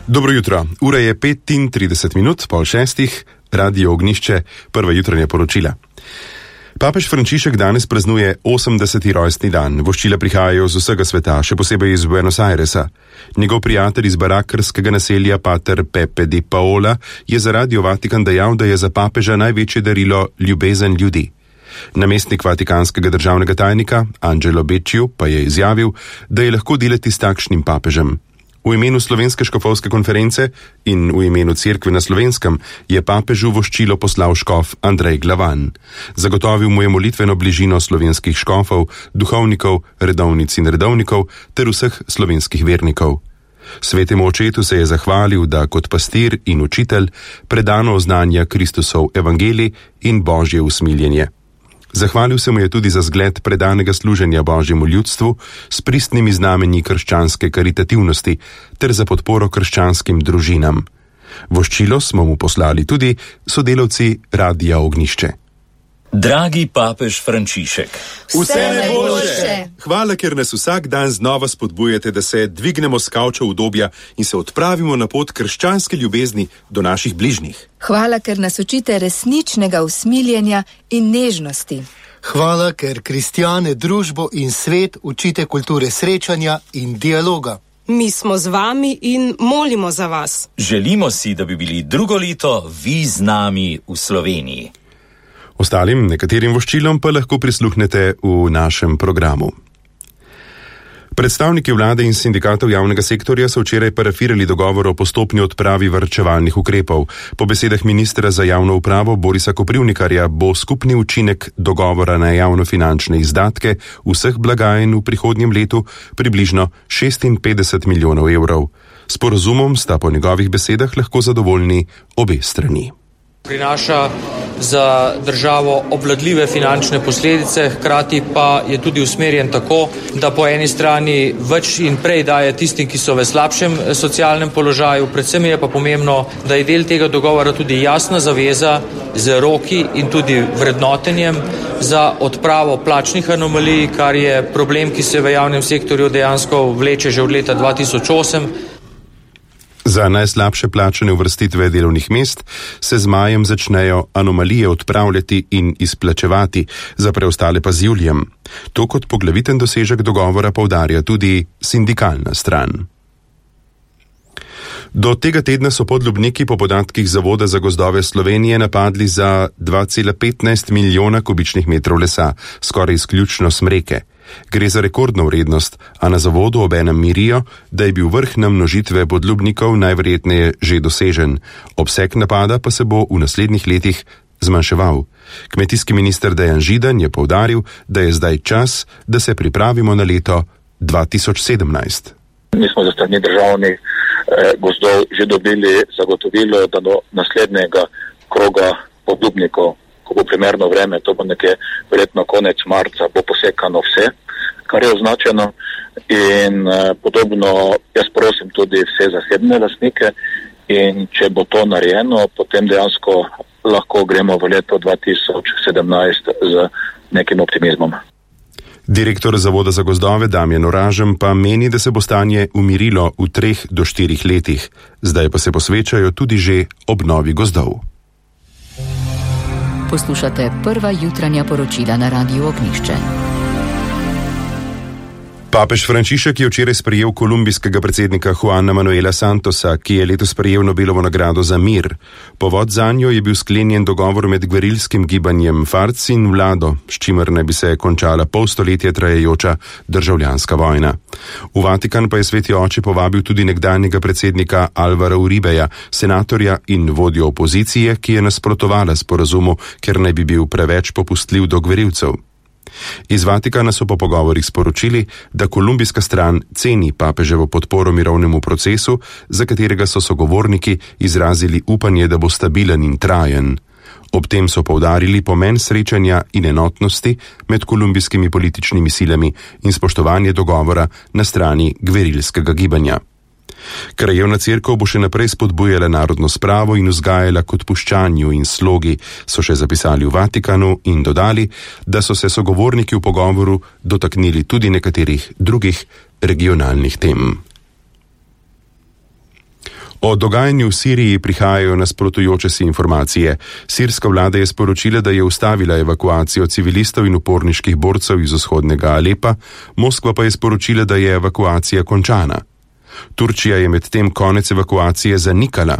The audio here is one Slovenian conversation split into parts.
Dobro jutro, ura je 35:35, 5:30, Radio Ognjišče, prva jutranja poročila. Papež Frančišek danes praznuje 80. rojstni dan. Voščila prihajajo z vsega sveta, še posebej iz Buenos Airesa. Njegov prijatelj iz barakarskega naselja, pater Pepe di Paola, je za Radio Vatikan dejal, da je za papeža največje darilo ljubezen ljudi. Namestnik vatikanskega državnega tajnika, Angelo Becciu, pa je izjavil, da je lahko delati s takšnim papežem. V imenu Slovenske škofovske konference in v imenu Cerkve na Slovenskem je papežu voščilo poslal škof Andrej Glavan. Zagotovil mu je molitveno bližino slovenskih škofov, duhovnikov, redovnic in redovnikov ter vseh slovenskih vernikov. Svetemu očetu se je zahvalil, da kot pastir in učitelj predano oznanja Kristusov evangelij in Božje usmiljenje. Zahvalil se mu je tudi za zgled predanega služenja Božjemu ljudstvu s pristnimi znamenji krščanske karitativnosti ter za podporo krščanskim družinam. Voščilo smo mu poslali tudi sodelavci Radia Ognjišče. Dragi papež Frančišek, vse najboljše! Hvala, ker nas vsak dan znova spodbujate, da se dvignemo s kavča udobja in se odpravimo na pot krščanske ljubezni do naših bližnjih. Hvala, ker nas učite resničnega usmiljenja in nežnosti. Hvala, ker kristjane, družbo in svet učite kulture srečanja in dialoga. Mi smo z vami in molimo za vas. Želimo si, da bi bili drugo leto vi z nami v Sloveniji. Ostalim nekaterim voščilom pa lahko prisluhnete v našem programu. Predstavniki vlade in sindikatov javnega sektorja so včeraj parafirali dogovor o postopni odpravi varčevalnih ukrepov. Po besedah ministra za javno upravo Borisa Koprivnikarja bo skupni učinek dogovora na javnofinančne izdatke vseh blagajn v prihodnjem letu približno 56 milijonov evrov. S sporazumom sta po njegovih besedah lahko zadovoljni obe strani. Prinaša za državo obvladljive finančne posledice, hkrati pa je tudi usmerjen tako, da po eni strani več in prej daje tistim, ki so v slabšem socialnem položaju, predvsem je pa pomembno, da je del tega dogovora tudi jasna zaveza z roki in tudi vrednotenjem za odpravo plačnih anomalij, kar je problem, ki se v javnem sektorju dejansko vleče že od leta 2008. Za najslabše plačane uvrstitve delovnih mest se z majem začnejo anomalije odpravljati in izplačevati, za preostale pa z julijem. To kot poglaviten dosežek dogovora poudarja tudi sindikalna stran. Do tega tedna so podlubniki po podatkih Zavoda za gozdove Slovenije napadli za 2,15 milijona kubičnih metrov lesa, skoraj izključno smreke. Gre za rekordno vrednost, a na zavodu obenem mirijo, da je bil vrh namnožitve podlubnikov najverjetneje že dosežen. Obseg napada pa se bo v naslednjih letih zmanjševal. Kmetijski minister Dejan Židan je poudaril, da je zdaj čas, da se pripravimo na leto 2017. Mi smo za strani državnih gozdov že dobili zagotovilo, da do naslednjega kroga podlubnikov, ko bo primerno vreme, to bo nekje verjetno konec marca, bo posekano vse, kar je označeno, in podobno jaz prosim tudi vse zasebne lastnike, in če bo to narejeno, potem dejansko lahko gremo v leto 2017 z nekim optimizmom. Direktor Zavoda za gozdove Damjan Oražem pa meni, da se bo stanje umirilo v 3 do 4 letih, zdaj pa se posvečajo tudi že obnovi gozdov. Poslušate prva jutranja poročila na Radiu Ognjišče. Papež Frančišek je včeraj sprejel kolumbijskega predsednika Juana Manuela Santosa, ki je letos prejel Nobelovo nagrado za mir. Povod zanjo je bil sklenjen dogovor med gverilskim gibanjem FARC in vlado, s čimer naj bi se končala pol stoletja trajajoča državljanska vojna. V Vatikan pa je Sveti oče povabil tudi nekdanjega predsednika Alvara Uribeja, senatorja in vodjo opozicije, ki je nasprotovala sporazumu, ker naj bi bil preveč popustljiv do gverilcev. Iz Vatikana so po pogovorih sporočili, da kolumbijska stran ceni papeževo podporo mirovnemu procesu, za katerega so sogovorniki izrazili upanje, da bo stabilen in trajen. Ob tem so poudarili pomen srečanja in enotnosti med kolumbijskimi političnimi silami in spoštovanje dogovora na strani gverilskega gibanja. Krajevna cerkev bo še naprej spodbujala narodno spravo in vzgajala k odpuščanju in slogi, so še zapisali v Vatikanu in dodali, da so se sogovorniki v pogovoru dotaknili tudi nekaterih drugih regionalnih tem. O dogajanju v Siriji prihajajo nasprotujoče si informacije. Sirska vlada je sporočila, da je ustavila evakuacijo civilistov in uporniških borcev iz vzhodnega Alepa, Moskva pa je sporočila, da je evakuacija končana. Turčija je medtem konec evakuacije zanikala.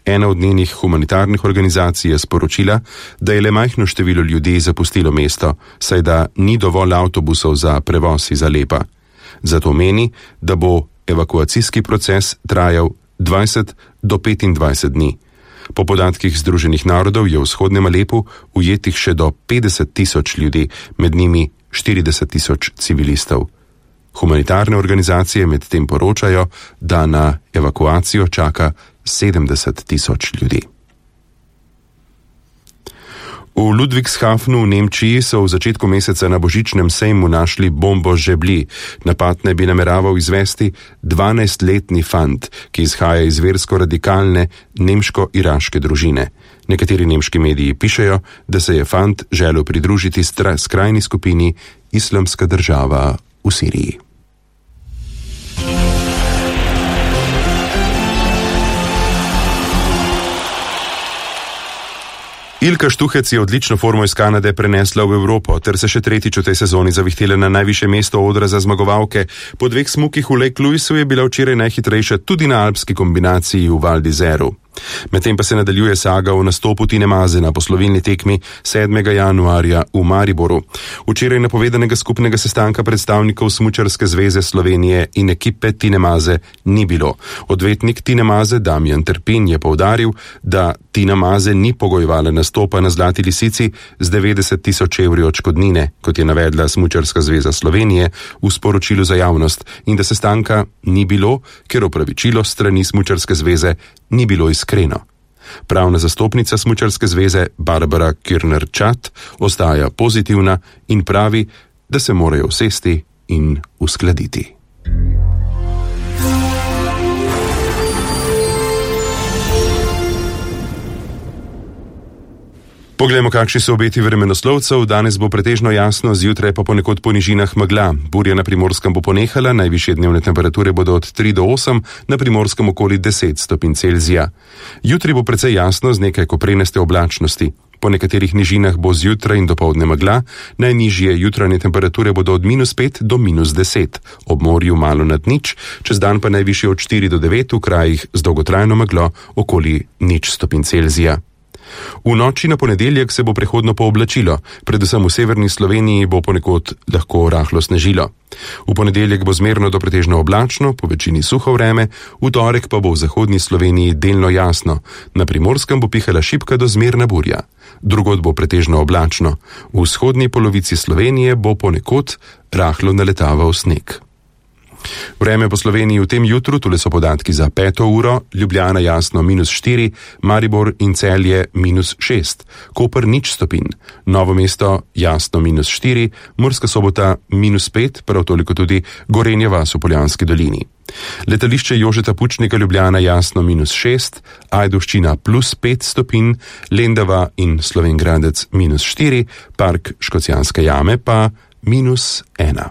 Ena od njenih humanitarnih organizacij je sporočila, da je le majhno število ljudi zapustilo mesto, saj da ni dovolj avtobusov za prevoz iz Alepa. Zato meni, da bo evakuacijski proces trajal 20 do 25 dni. Po podatkih Združenih narodov je v vzhodnem Alepu ujetih še do 50.000 ljudi, med njimi 40.000 civilistov. Humanitarne organizacije medtem poročajo, da na evakuacijo čaka 70.000 ljudi. V Ludwigshafenu v Nemčiji so v začetku meseca na božičnem sejmu našli bombo žebli. Napad naj bi nameraval izvesti 12-letni fant, ki izhaja iz versko-radikalne nemško-iraške družine. Nekateri nemški mediji pišejo, da se je fant želel pridružiti skrajni skupini Islamska država v Siriji. Ilka Štuhec je odlično formo iz Kanade prenesla v Evropo, ter se še tretjič v tej sezoni zavihtela na najvišje mesto odra za zmagovalke. Po 2 smukih v Lake Louisu je bila včeraj najhitrejša tudi na alpski kombinaciji v Val d'Izeru. Medtem pa se nadaljuje saga o nastopu Tine Maze na poslovilni tekmi 7. januarja v Mariboru. Včeraj napovedanega skupnega sestanka predstavnikov Smučarske zveze Slovenije in ekipe Tine Maze ni bilo. Odvetnik Tine Maze Damjan Terpin je poudaril, da Tina Maze ni pogojevala nastopa na Zlati lisici z 90.000 evri odškodnine, kot je navedla Smučarska zveza Slovenije v sporočilu za javnost, in da sestanka ni bilo, ker opravičilo strani Smučarske zveze ni bilo iskreno. Pravna zastopnica Smučarske zveze Barbara Kirner-Čat ostaja pozitivna in pravi, da se morajo usesti in uskladiti. Poglejmo, kakšni so obeti vremenoslovcev. Danes bo pretežno jasno, zjutraj pa ponekod po nižinah megla. Burja na Primorskem bo ponehala, najvišje dnevne temperature bodo od 3 do 8, na Primorskem okoli 10 stopinj Celzija. Jutri bo precej jasno z nekaj koprenaste oblačnosti. Po nekaterih nižinah bo zjutraj in dopoldne megla, najnižje jutranje temperature bodo od -5 do -10, ob morju malo nad nič, čez dan pa najvišje od 4 do 9, v krajih z dolgotrajno meglo okoli 0 stopinj Celzija. V noči na ponedeljek se bo prehodno pooblačilo, predvsem v severni Sloveniji bo ponekod lahko rahlo snežilo. V ponedeljek bo zmerno do pretežno oblačno, po večini suho vreme, v torek pa bo v zahodni Sloveniji delno jasno, na Primorskem bo pihala šibka do zmerna burja. Drugod bo pretežno oblačno, v vzhodni polovici Slovenije bo ponekod rahlo naletaval sneg. Vreme po Sloveniji v tem jutru, tule so podatki za 5. uro, Ljubljana jasno -4, Maribor in Celje -6, Koper 0 stopinj, Novo mesto jasno -4, Murska Sobota -5, prav toliko tudi Gorenja vas v Poljanski dolini. Letališče Jožeta Pučnika Ljubljana jasno -6, Ajdovščina +5 stopinj, Lendava in Slovenj Gradec -4, Park Škocjanske jame pa -1.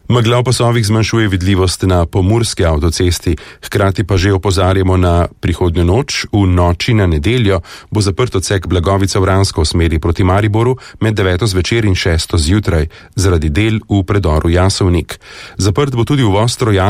Megla v pasovih zmanjšuje vidljivost na pomurski avtocesti, hkrati pa že opozarjamo na prihodnjo noč. V noči na nedeljo bo zaprt odsek Blagovica-Vransko v smeri proti Mariboru med 9. zvečer in 6. zjutraj zaradi del v predoru Jasovnik. Zaprt bo tudi uvoz strojarn